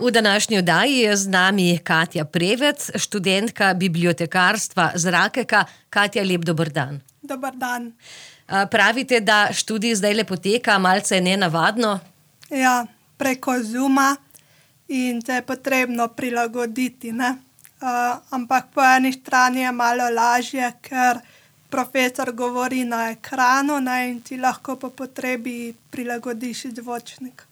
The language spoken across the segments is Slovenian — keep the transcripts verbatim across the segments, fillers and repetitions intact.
V današnji oddaji je z nami Katja Prevec, študentka bibliotekarstva z Rakeka. Katja, lep dober dan. Dober dan. Pravite, da študij zdajle poteka malce nenavadno? Ja, preko Zooma in se je potrebno prilagoditi, ne. Uh, ampak po eni strani je malo lažje, ker profesor govori na ekranu, ne, in ti lahko po potrebi prilagodiš zvočnik.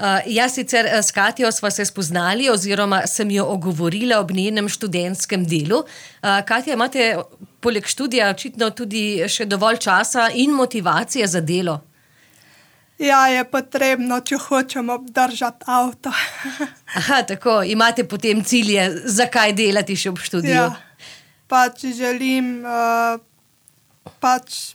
Uh, jaz sicer s Katjo sva se spoznali oziroma sem jo ogovorila ob njenem študentskem delu. Uh, Katja, imate poleg študija očitno tudi še dovolj časa in motivacije za delo? Ja, je potrebno, če hočemo obdržati avto. Aha, tako. Imate potem cilje, zakaj delati še ob študiju? Ja, pač želim uh, pač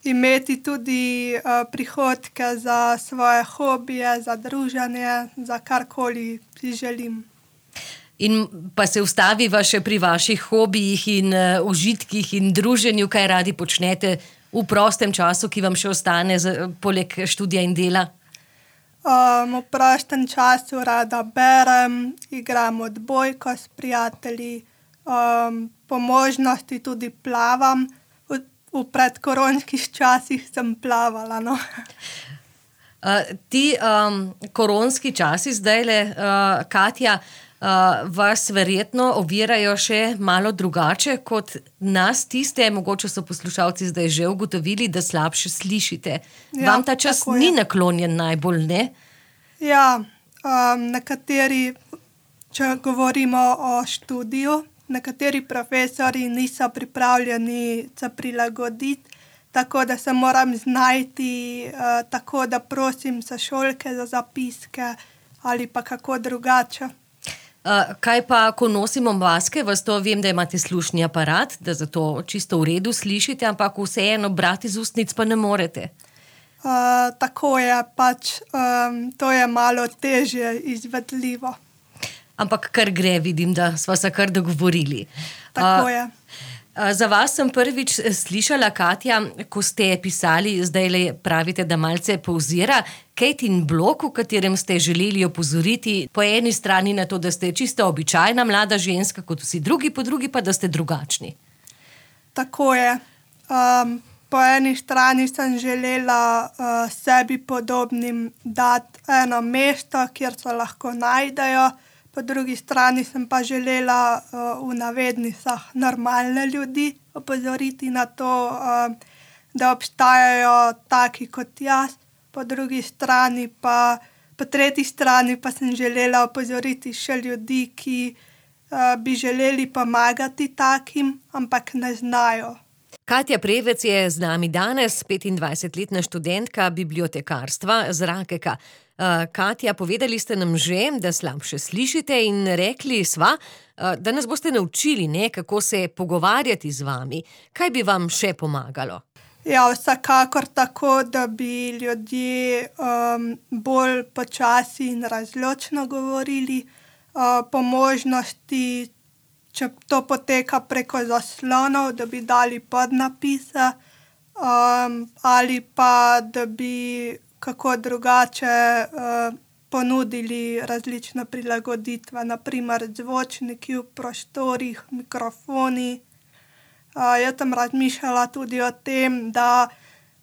imeti tudi uh, prihodke za svoje hobije, za druženje, za karkoli si želim. In pa se ustaviva še pri vaših hobijih in uh, užitkih in druženju, kaj radi počnete v prostem času, ki vam še ostane z, poleg študija in dela? Um, v prostem času rada berem, igram odbojko s prijatelji, um, po možnosti tudi plavam. V, v predkoronskih časih sem plavala, no. Uh, ti um, koronski časi zdajle, uh, Katja, Uh, vas verjetno ovirajo še malo drugače kot nas tiste, mogoče so poslušalci zdaj že ugotovili, da slabše slišite. Ja, vam ta čas ni naklonjen najbolj, ne? Ja, um, nekateri, če govorimo o študiju, nekateri profesori niso pripravljeni se prilagoditi, tako da se moram znajti, uh, tako da prosim sošolke za zapiske ali pa kako drugače. Uh, kaj pa, ko nosimo maske, vas to vem, da imate slušni aparat, da zato čisto v redu slišite, ampak vseeno brati iz ustnic pa ne morete. Uh, tako je, pač um, to je malo težje izvedljivo. Ampak kar gre, vidim, da sva se kar dogovorili. Tako je. Uh, za vas sem prvič slišala, Katja, ko ste pisali, zdajle pravite, da malce povzira, Katin blog, v katerem ste želeli opozoriti po eni strani na to, da ste čisto običajna mlada ženska, kot vsi drugi, po drugi pa, da ste drugačni. Tako je. Um, po eni strani sem želela uh, sebi podobnim dati eno mesto, kjer se lahko najdejo, po drugi strani sem pa želela uh, v navednicah normalne ljudi opozoriti na to, uh, da obstajajo taki kot jaz, po drugi strani pa, po tretji strani pa sem želela opozoriti še ljudi, ki uh, bi želeli pomagati takim, ampak ne znajo. Katja Prevec je z nami danes, petindvajsetletna študentka bibliotekarstva z Rakeka. Uh, Katja, povedali ste nam že, da slabše slišite in rekli sva, uh, da nas boste naučili, ne, kako se pogovarjati z vami. Kaj bi vam še pomagalo? Ja, vsekakor tako, da bi ljudje um, bolj počasi in razločno govorili, uh, po možnosti, če to poteka preko zaslonov, da bi dali podnapise, um, ali pa da bi kako drugače uh, ponudili različne prilagoditve, na primer zvočniki v prostorih, mikrofoni. Uh, jaz sem razmišljala tudi o tem, da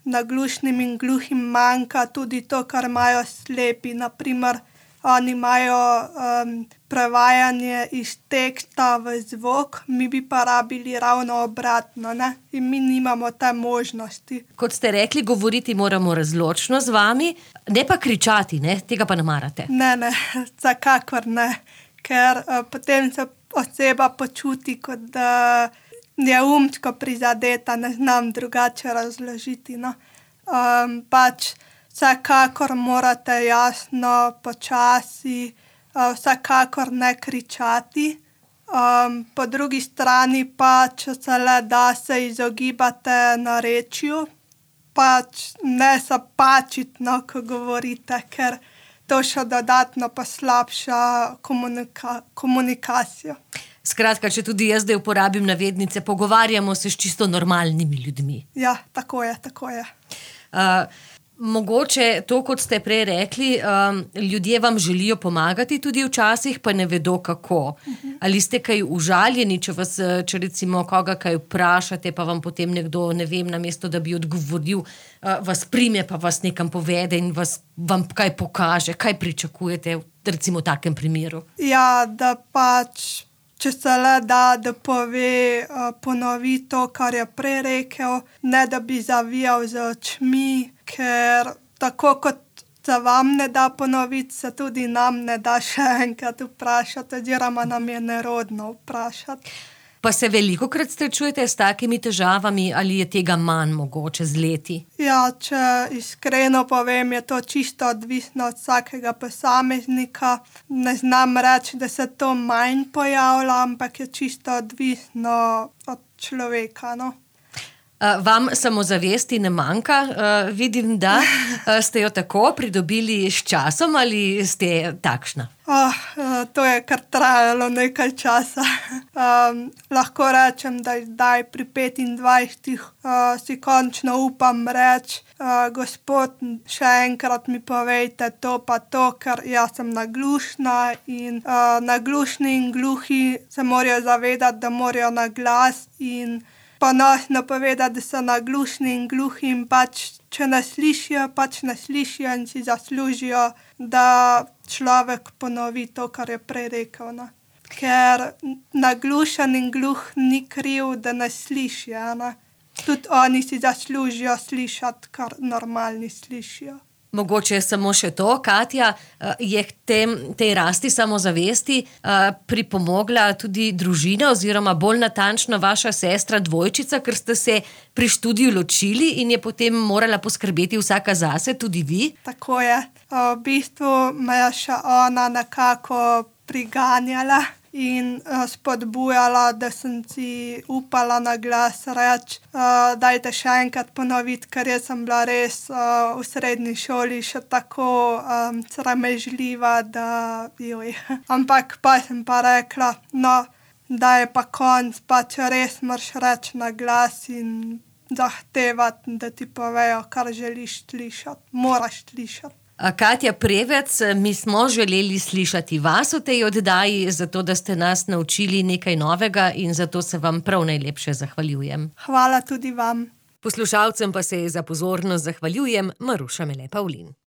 naglušnim in gluhim manjka tudi to, kar imajo slepi. Na primer, oni imajo um, prevajanje iz teksta v zvok, mi bi pa rabili ravno obratno, ne? In mi nimamo te možnosti. Kot ste rekli, govoriti moramo razločno z vami, ne pa kričati, ne? Tega pa ne marate. Ne, ne, vsekakor ne, ker uh, potem se oseba počuti, kot da je umsko prizadeta, ne znam drugače razložiti, no. Um, pač vsekakor morate jasno, počasi, uh, vsekakor ne kričati. Um, po drugi strani pa, če se le da, se izogibate narečju, pač ne se pačiti, no, ko govorite, ker to še dodatno poslabša komunika- komunikacijo. Skratka, če tudi jaz zdaj uporabim navednice, pogovarjamo se s čisto normalnimi ljudmi. Ja, tako je, tako je. Uh, Mogoče to, kot ste prej rekli, um, ljudje vam želijo pomagati tudi včasih, pa ne vedo kako. Ali ste kaj užaljeni, če vas, če recimo koga kaj vprašate, pa vam potem nekdo, ne vem, namesto da bi odgovoril, uh, vas prime, pa vas nekam povede in vas, vam kaj pokaže, kaj pričakujete recimo v takem primeru? Ja, da pač, če se le da, da pove, uh, ponovi to, kar je prej rekel, ne da bi zavijal z očmi, ker tako kot se vam ne da ponoviti, se tudi nam ne da še enkrat vprašati, oziroma nam je nerodno vprašati. Pa se velikokrat srečujete s takimi težavami ali je tega manj mogoče z leti? Ja, če iskreno povem, je to čisto odvisno od vsakega posameznika. Ne znam reči, da se to manj pojavlja, ampak je čisto odvisno od človeka, no. Uh, vam samozavesti ne manjka? Uh, vidim, da uh, ste jo tako pridobili s časom ali ste takšna? Oh, uh, to je kar trajalo nekaj časa. Um, lahko rečem, da zdaj pri petindvajsetih uh, si končno upam reči, uh, gospod, še enkrat mi povejte to pa to, ker jaz sem naglušna in uh, naglušni in gluhi se morajo zavedati, da morajo na glas in ponosno povedati, da so naglušni in gluhi in pač, če ne slišijo, pač ne slišijo in si zaslužijo, da človek ponovi to, kar je prej rekel, no. Ker naglušen in gluh ni kriv, da ne sliši, ne. Tudi oni si zaslužijo slišati, kar normalni slišijo. Mogoče samo še to, Katja, je k tem, tej rasti samozavesti pripomogla tudi družina oziroma bolj natančno vaša sestra dvojčica, ker ste se pri študiju ločili in je potem morala poskrbeti vsaka zase, tudi vi? Tako je. V bistvu me je še ona nekako priganjala in spodbujala, da sem si upala na glas reči, dajte še enkrat ponoviti, ker jaz sem bila res v srednji šoli še tako um, sramežljiva, da joj. Ampak pa sem pa rekla, no, da je pa konc, pa če res moraš reči na glas in zahtevati, da ti povejo, kar želiš slišati, moraš slišati. Katja Prevec, mi smo želeli slišati vas v tej oddaji, zato da ste nas naučili nekaj novega in zato se vam prav najlepše zahvaljujem. Hvala tudi vam. Poslušalcem pa se za pozornost zahvaljujem, Maruša Mele Pavlin.